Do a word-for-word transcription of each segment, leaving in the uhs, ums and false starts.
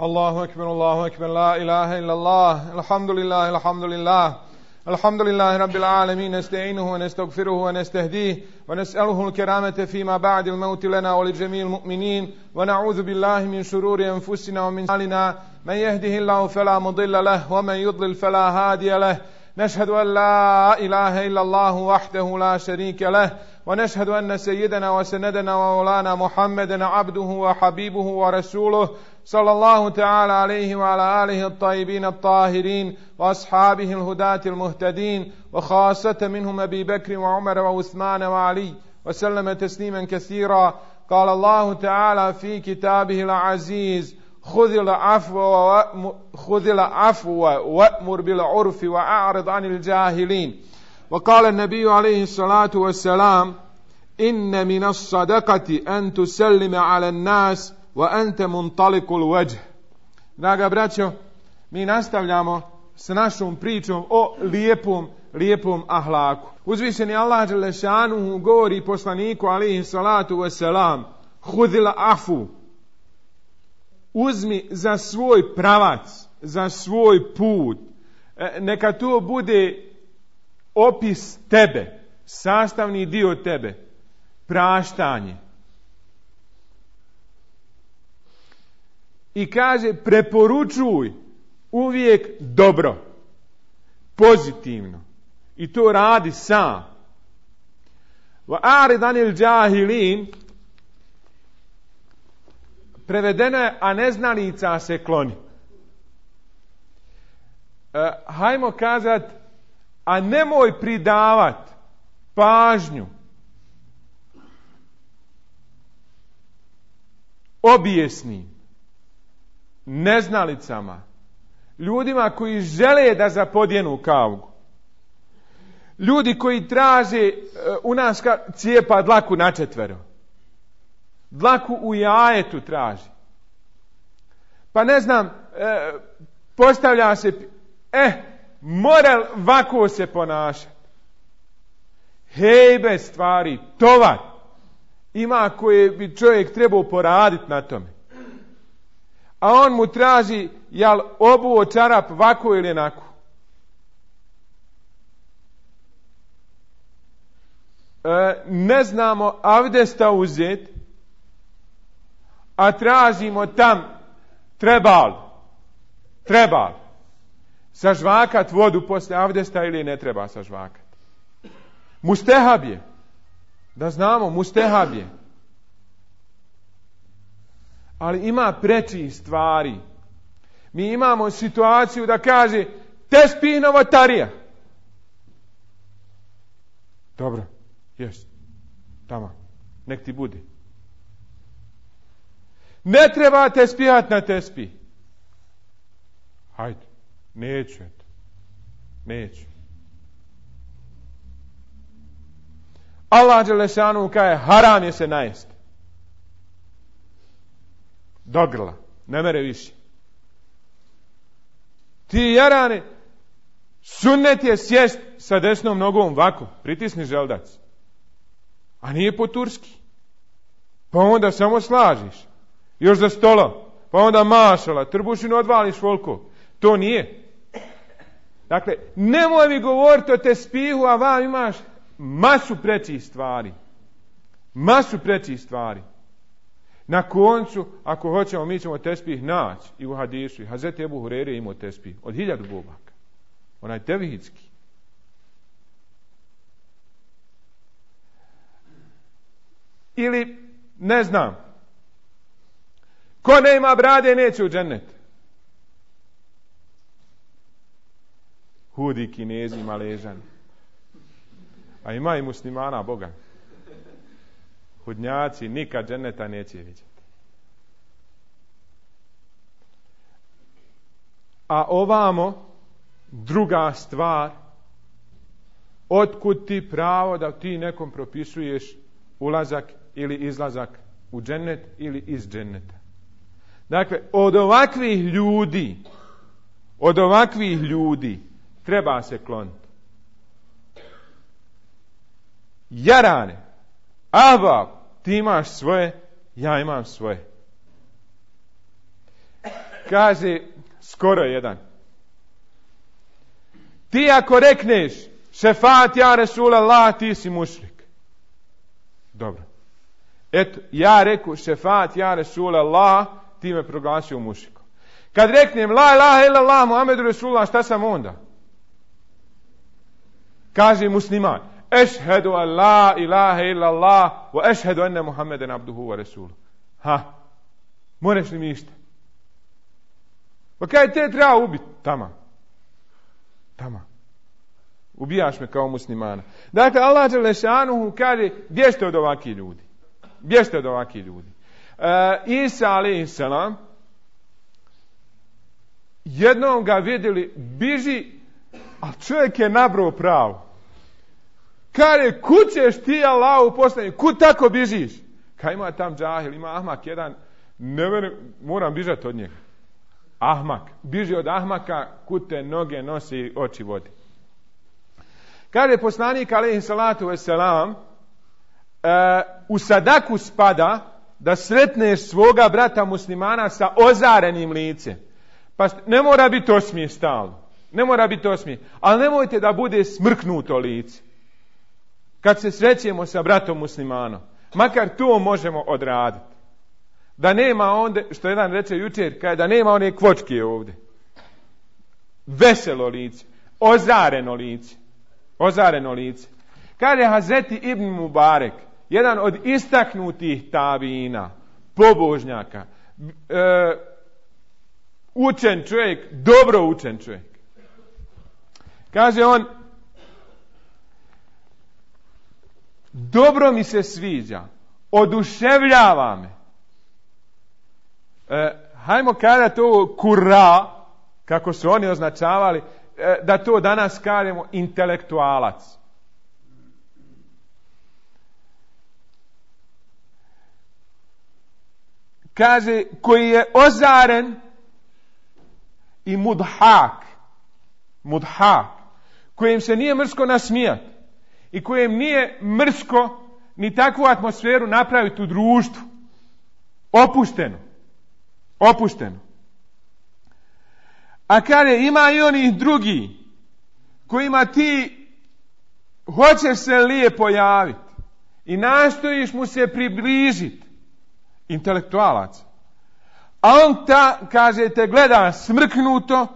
الله أكبر الله أكبر لا إله إلا الله الحمد لله الحمد لله الحمد لله رب العالمين نستعينه ونستغفره ونستهديه ونسأله الكرامة فيما بعد الموت لنا ولجميع المؤمنين ونعوذ بالله من شرور أنفسنا ومن سيئات من يهده الله فلا مضل له ومن يضلل فلا هادي له نشهد أن لا إله إلا الله وحده لا شريك له ونشهد أن سيدنا وسندنا ومولانا محمدا عبده وحبيبه ورسوله صلى الله تعالى عليه وعلى آله الطيبين الطاهرين وأصحابه الهداة المهتدين وخاصة منهم أبي بكر وعمر وعثمان وعلي وسلم تسليما كثيرا. قال الله تعالى في كتابه العزيز خذ العفو خذ العفو وأمر بالعرف وأعرض عن الجاهلين. وقال النبي عليه الصلاة والسلام إن من الصدقة أن تسلم على الناس وأنت منطلق الوجه. Draga braćo, mi nastavljamo s našom pričom o lijepom, lijepom ahlaku. Uzvišeni Allah dželle šanuhu govori poslaniku alejhi salatu vesselam: Hudil afu, uzmi za svoj pravac, za svoj put. E, neka to bude opis tebe, sastavni dio tebe, praštanje. I kaže, preporučuj uvijek dobro, pozitivno. I to radi sam. Wa a'rid anil jahilin, prevedeno je, a neznalica se kloni. E, hajmo kazat, a nemoj pridavat pažnju obijesnim, neznalicama, ljudima koji žele da zapodjenu kavgu, ljudi koji traže u nas cijepa dlaku na četvero, dlaku u jajetu traži, pa ne znam, e, postavlja se eh, mora ovako se ponašati, hejbe stvari, tovar ima koje bi čovjek trebao poraditi na tome. A on mu traži, jel obuo čarap vako ili onako. E, ne znamo avdesta uzeti, a tražimo tam trebal, trebal, sažvakat vodu posle avdesta ili ne treba sažvakat. Mustehab je, da znamo, mustehab je. Ali ima prečih stvari. Mi imamo situaciju da kaže tespih novotarija. Dobro, jest. Tamo, nek ti bude. Ne treba tespihat na tespih. Hajde, neću eto. Neću. Allah dželle šanuhu kaže haram je se najesti. Do grla, ne mere više. Ti jarane, sunnet je sjest sa desnom nogom ovako, pritisni želdac. A nije po turski. Pa onda samo slažiš. Još za stolo. Pa onda mašala, trbušinu odvališ volko. To nije. Dakle, nemoj mi govoriti o tespihu, a vam imaš masu prečih stvari. Masu prečih stvari. Na koncu, ako hoćemo, mi ćemo tespih naći i u hadisu. Hazreti Ebu Hureyre imao tespih od hiljadu bubaka. Onaj tevhidski. Ili, ne znam, ko ne ima brade, neće u džennet. Hudi, Kinezi, Maležani. A ima i muslimana, Boga. Hudnjaci nikad dženneta neće vidjeti. A ovamo, druga stvar, otkud ti pravo da ti nekom propisuješ ulazak ili izlazak u džennet ili iz dženneta. Dakle, od ovakvih ljudi, od ovakvih ljudi treba se kloniti. Jarane, ahbab, ti imaš svoje, ja imam svoje. kaže skoro jedan. Ti ako rekneš šefat ja Resulallah, ti si mušrik. Dobro. Eto, ja reku šefat ja Resulallah, ti me proglasio mušrikom. Kad reknem la ilaha illallah Muhammedu Resulullah, šta sam onda? Kaže musliman, ešhedu an la ilaha illallah wa ešhedu enne Muhammeden abduhu wa resuluhu. Ha, moraš li mi išta? Pa kaj te treba ubiti? Tama. Tama. Ubijaš me kao muslimana. Dakle, Allah Đelešanuhu kaže, bježte od ovakih ljudi. Bježte od ovakih ljudi. E, Isa alejhiselam, jednom ga vidjeli, biži, a čovjek je nabrao pravo. Kaže, kud ćeš ti Allahu poslanik? Kud tako bižiš? Kaj ima tam džahil, ima ahmak jedan, ne verim, moram bižati od njega. Ahmak. Biži od ahmaka, kud te noge nosi i oči vodi. Kaže poslanik alejhi salatu vesselam, uh, u sadaku spada da sretneš svoga brata muslimana sa ozarenim licem. Pa ne mora biti osmije stalno. Ne mora biti osmije. Ali nemojte da bude smrknuto lice. Kad se srećemo sa bratom muslimanom. Makar to možemo odraditi. Da nema onda, što jedan reče jučer, kada da nema one kvočke ovdje. Veselo lice. Ozareno lice. Ozareno lice. Kaže Hazreti Ibn Mubarek, jedan od istaknutih tabina, pobožnjaka, e, učen čovjek, dobro učen čovjek. Kaže on, dobro mi se sviđa, oduševljava me. E, hajmo kada to kura, kako su oni označavali, e, da to danas kažemo intelektualac. Kaže, koji je ozaren i mudhak, mudhak, kojem se nije mrsko nasmijati i kojem nije mrsko ni takvu atmosferu napraviti u društvu. Opušteno. Opušteno. A kaže, ima i onih drugi kojima ti hoćeš se lijepo javiti i nastojiš mu se približiti. Intelektualac. A on ta, kaže, te gleda smrknuto,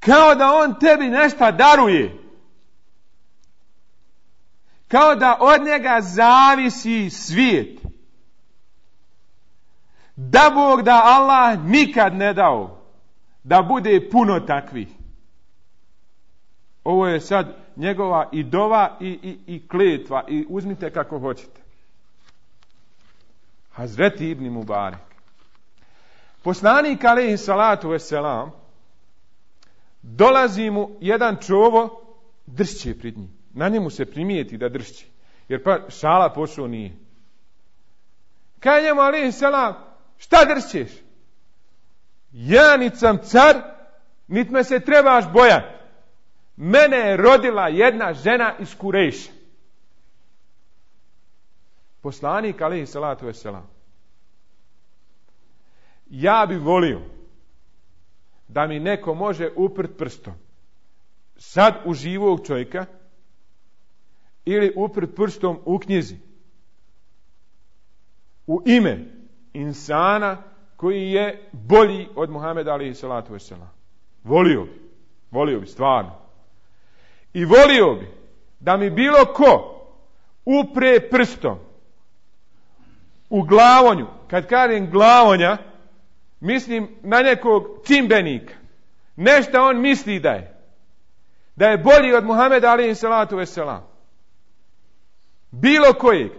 kao da on tebi nešto daruje. Kao da od njega zavisi svijet. Da Bog da Allah nikad ne dao da bude puno takvih. Ovo je sad njegova i dova i, i, i kletva i uzmite kako hoćete. Hazreti Ibn Mubarek. Poslanik alejhi salatu vesselam, dolazi mu jedan čovo, dršće pred njim. Na njemu se primijeti da dršće. Jer pa šala pošao nije. Kaj njemu alejhi selam, šta dršćeš? Ja nit sam car, nit me se trebaš bojati. Mene je rodila jedna žena iz Kurejša. Poslanik alejhi salatu vesselam. Ja bi volio da mi neko može uprt prstom sad u živog čovjeka ili uprt prstom u knjizi u ime insana koji je bolji od Muhameda alejhi salatu vesselam. Volio bi, volio bi stvarno. I volio bi da mi bilo ko upre prstom u glavonju. Kad kažem glavonja, mislim na nekog čimbenika. Nešto on misli da je. Da je bolji od Muhameda alejhi salatu vesselam. Bilo kojeg.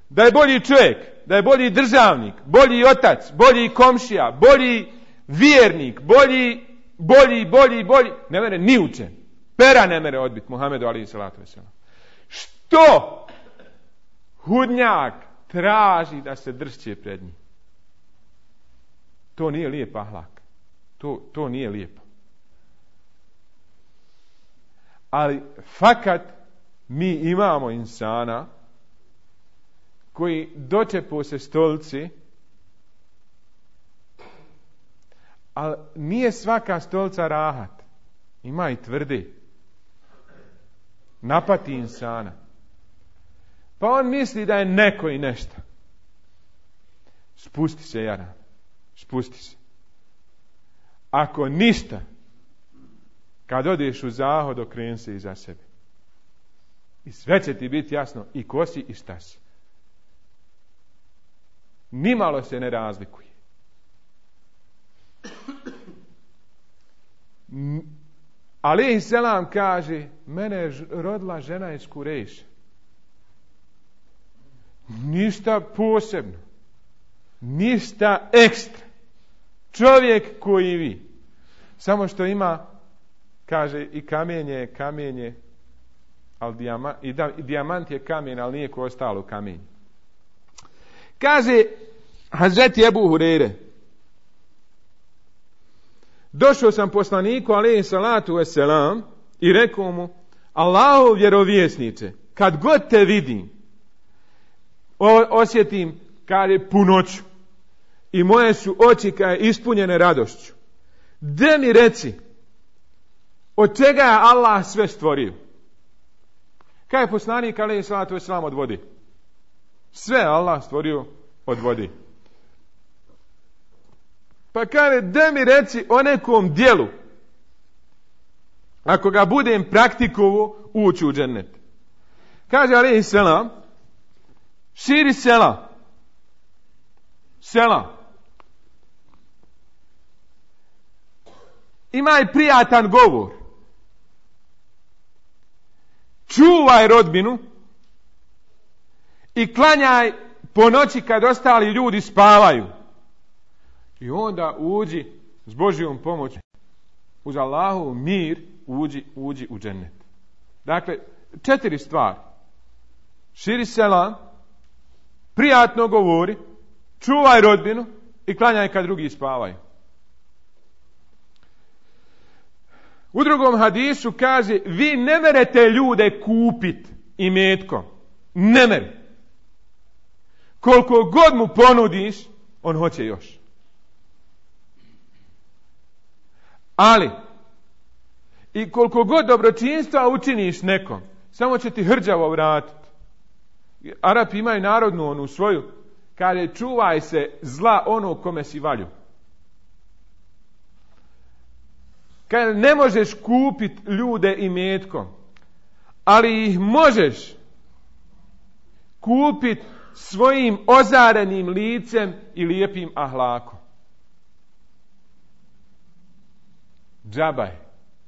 Da je bolji čovjek, da je bolji državnik, bolji otac, bolji komšija, bolji vjernik, bolji, bolji, bolji, bolji. Ne mere ni učen. Pera ne mere odbiti Muhamedu alejhi salatu vesselam. Što hudnjak traži da se dršće pred njim? To nije lijep ahlak. To, to nije lijepo. Ali fakat mi imamo insana koji dočepo se stolici, Ali nije svaka stolica rahat. Ima i tvrde. Napati insana. Pa on misli da je neko i nešto. Spusti se, Jaran. Spusti se. Ako ništa, kad odeš u zahod, okreni se iza sebe. I sve će ti biti jasno i ko si i šta si. Nimalo se ne razlikuje. Alejhi selam kaže, mene je rodila žena iz Kurejša. Ništa posebno. Ništa ekstra. Čovjek koji vi. Samo što ima, kaže, i kamenje, kamenje, ali dijama, i, da, i dijamant je kamen, ali nije ko ostalo kamenje. Kaže Hazreti Ebu Hureyre, došao sam poslaniku alejhi salatu vesselam i rekao mu, Allahov vjerovjesniče, kad god te vidim, o, osjetim, kaže, punoću i moje su oči kaže ispunjene radošću. De mi reci, od čega je Allah sve stvorio? Kaj je poslanik alejhi salatu vesselam od vode? Sve Allah stvorio od vode. Pa kaže, da mi reci o nekom dijelu, ako ga budem praktikovo, ući u džennet. Kaže alejhi selam, širi sela. Sela. Imaj prijatan govor. Čuvaj rodbinu i klanjaj po noći kad ostali ljudi spavaju. I onda uđi s Božjom pomoći, uz Allahov mir, uđi, uđi u džennet. Dakle, četiri stvari. Širi selam, prijatno govori, čuvaj rodbinu i klanjaj kad drugi spavaju. U drugom hadisu kaže, vi ne merete ljude kupit imetkom. Ne mere. Koliko god mu ponudiš, on hoće još. Ali, i koliko god dobročinstva učiniš nekom, samo će ti hrđavo vratiti. Arapi imaju narodnu onu svoju, kaže, čuvaj se zla onog kome si valju. Kaže, ne možeš kupiti ljude imetkom, ali ih možeš kupiti svojim ozarenim licem i lijepim ahlakom. Džabaj.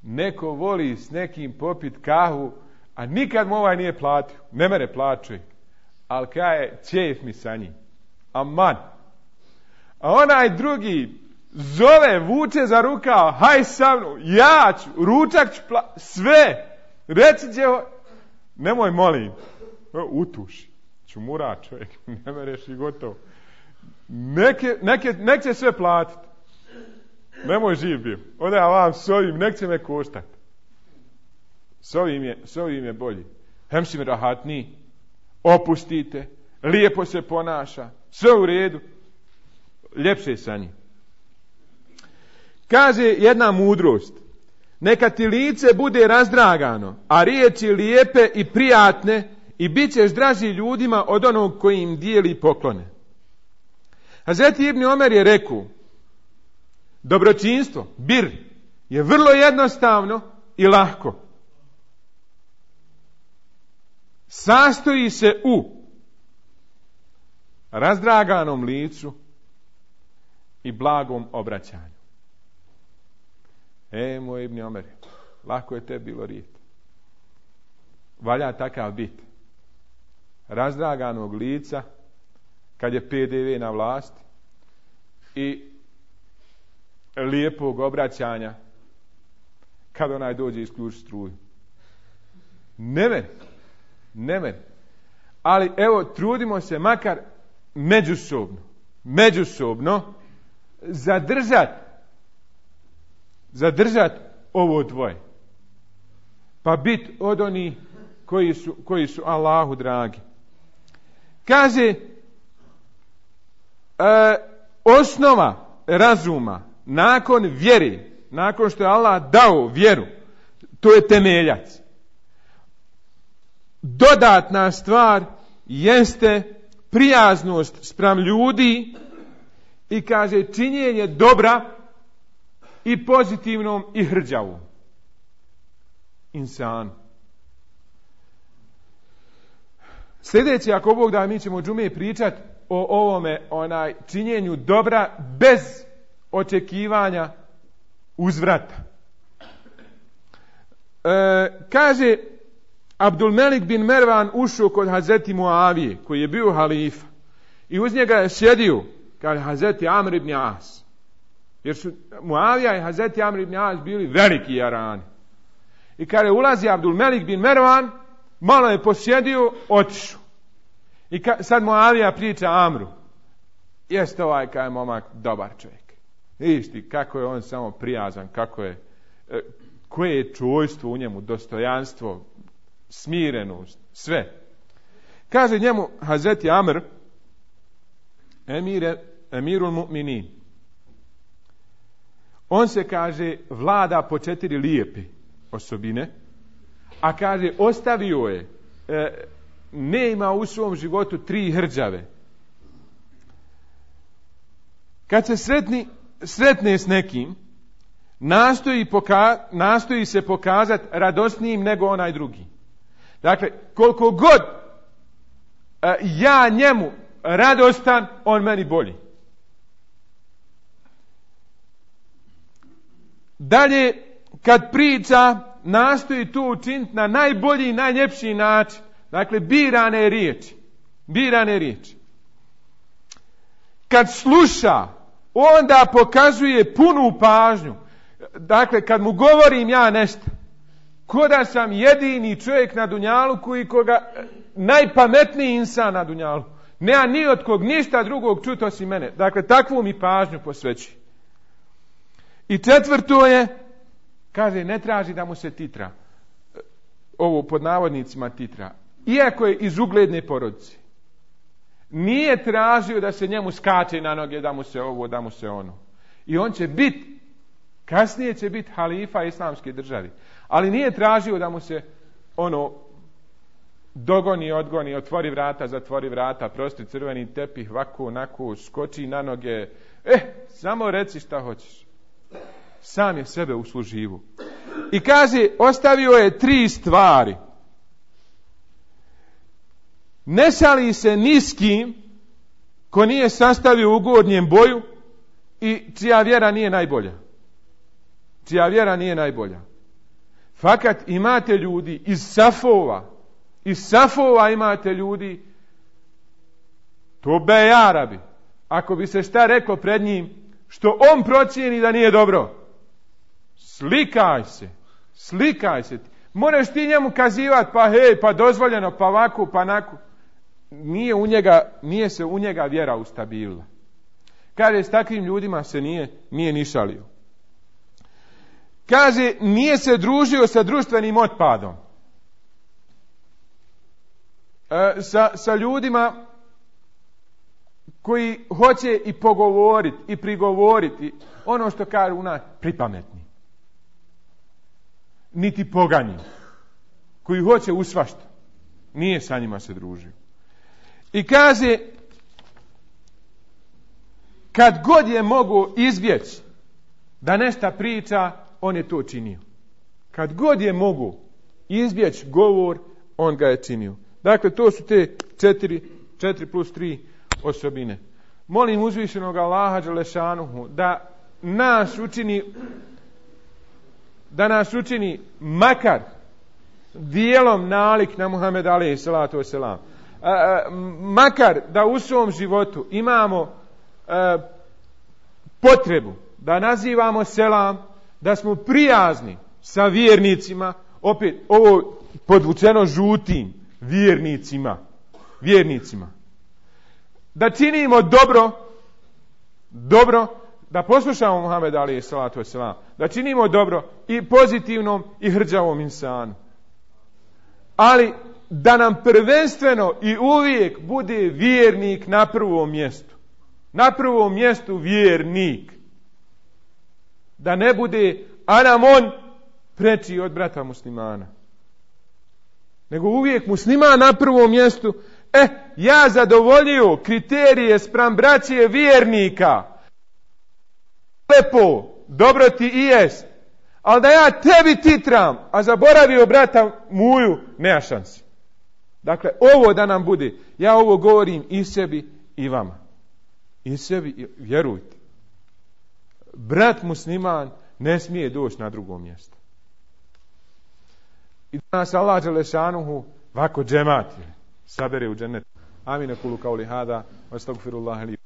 Neko voli s nekim popit kahu, a nikad mu ovaj nije platio. Ne mere plaćuje. Ali kaje, ćef mi sa njim. Aman. A onaj drugi zove, vuče za rukav, haj sa mnom, ja ću, ručak ću pla... sve. Reci će, nemoj molim. Utuši. Čumura čovjek, ne mereš i gotovo. Neke, neke, nek će sve platiti. Nemoj živ bio. Onda ja vam s ovim, nek će me koštati. S ovim je, s ovim je bolji. Hem si mi rahatniji, opustite, lijepo se ponaša, sve u redu, ljepše sa njim. Kaže jedna mudrost, neka ti lice bude razdragano, a riječi lijepe i prijatne i bit ćeš draži ljudima od onog koji im dijeli poklone. Hazreti Ibn Omer je rekao, dobročinstvo, bir, je vrlo jednostavno i lahko. Sastoji se u razdraganom licu i blagom obraćanju. E, moj Ibn Omer, lako je te bilo rijet. Valja takav bit. Razdraganog lica, kad je P D V na vlasti, i lijepog obraćanja kad onaj dođe isključi struju. Ne meni. Ne meni. Ali evo, trudimo se makar međusobno, međusobno zadržati zadržati ovo dvoje. Pa bit od onih koji su, koji su Allahu dragi. Kaže, e, osnova razuma nakon vjere, nakon što je Allah dao vjeru, to je temeljac. Dodatna stvar jeste prijaznost spram ljudi i kaže činjenje dobra i pozitivnom i hrđavom insanu. Sljedeći, ako Bog da, mi ćemo u džume pričati o ovome, onaj činjenju dobra bez očekivanja uzvrata. E, kaže Abdulmelik bin Mervan ušao kod Hazreti Muavije, koji je bio halifa, i uz njega je sjedio, kaže Hazreti Amr ibn As. Jer su Muavija i Hazreti Amr ibn As bili veliki jarani. I kaže, ulazi Abdulmelik bin Mervan, malo je posjedio, otišao. I ka, sad Muavija priča Amru. Jeste ovaj, kaj je momak, dobar čovjek. Viš ti kako je on samo prijazan, kako je, e, koje je čojstvo u njemu, dostojanstvo, smirenost, sve. Kaže njemu Hazreti Amr, emire, emirul mu'minin. On se, kaže, vlada po četiri lijepe osobine, a kaže, ostavio je, e, ne ima u svom životu tri hrđave. Kad se sretni, sretne s nekim, nastoji, poka, nastoji se pokazati radosnijim nego onaj drugi. Dakle, koliko god e, ja njemu radostan, on meni bolji. Dalje, kad priča, nastoji to učiniti na najbolji i najljepši način. Dakle, birane riječi. Birane riječi. Kad sluša, onda pokazuje punu pažnju. Dakle, kad mu govorim ja nešto, ko da sam jedini čovjek na dunjaluku i koga najpametniji insan na dunjaluku. Nema ni od kog ništa drugog čuti osim mene. Dakle, takvu mi pažnju posveći. I četvrto je, kaže, ne traži da mu se titra. Ovo pod navodnicima titra. Iako je iz ugledne porodice. Nije tražio da se njemu skače na noge, da mu se ovo, da mu se ono. I on će biti, kasnije će biti halifa islamske države. Ali nije tražio da mu se ono dogoni, odgoni, otvori vrata, zatvori vrata, prosti crveni tepih, ovako, onako, skoči na noge. Eh, samo reci šta hoćeš. Sam je sebe usluživo. I kaže, ostavio je tri stvari. Ne šali se ni s kim ko nije sastavio u gornjem boju i čija vjera nije najbolja. Čija vjera nije najbolja. Fakat imate ljudi iz safova, iz safova imate ljudi, to be Arabi, ako bi se šta reklo pred njim, što on procijeni da nije dobro, slikaj se, slikaj se. Moraš ti njemu kazivati, pa hej, pa dozvoljeno, pa ovako, pa onako. Nije, u njega, nije se u njega vjera ustabilila. Kaže, s takvim ljudima se nije, nije ni šalio. Kaže, nije se družio sa društvenim otpadom. E, sa, sa ljudima koji hoće i pogovoriti, i prigovoriti, ono što kaže u nas, pripametni. Niti poganji. Koji hoće u svašta. Nije sa njima se družio. I kaže, kad god je mogu izbjeći da nešto priča, on je to činio. Kad god je mogu izbjeći govor, on ga je činio. Dakle, to su te četiri, četiri plus tri osobine. Molim uzvišenog Allaha dželešanuhu da nas učini, da nas učini makar dijelom nalik na Muhammed alejhi salatu vesselam. Makar da u svom životu imamo a, potrebu da nazivamo selam, da smo prijazni sa vjernicima, opet ovo podvučeno žutim, vjernicima, vjernicima. Da činimo dobro, dobro, da poslušamo Muhammed alejhi salatu vesselam, da činimo dobro i pozitivnom i hrđavom insanu. Ali da nam prvenstveno i uvijek bude vjernik na prvom mjestu. Na prvom mjestu vjernik. Da ne bude, a nam on preči od brata muslimana. Nego uvijek musliman na prvom mjestu. E, ja zadovoljio kriterije spram braće vjernika. Lepo, dobro ti i jest. Ali da ja tebi titram, a zaboravio brata muju, nema šansi. Dakle, ovo da nam bude. Ja ovo govorim i sebi i vama. I sebi, vjerujte. Brat musliman ne smije doći na drugo mjesto. I da nas Allah dželešanuhu vako džemat sabere u džennet. Amin, kulu kauli hada, astagfirullah li.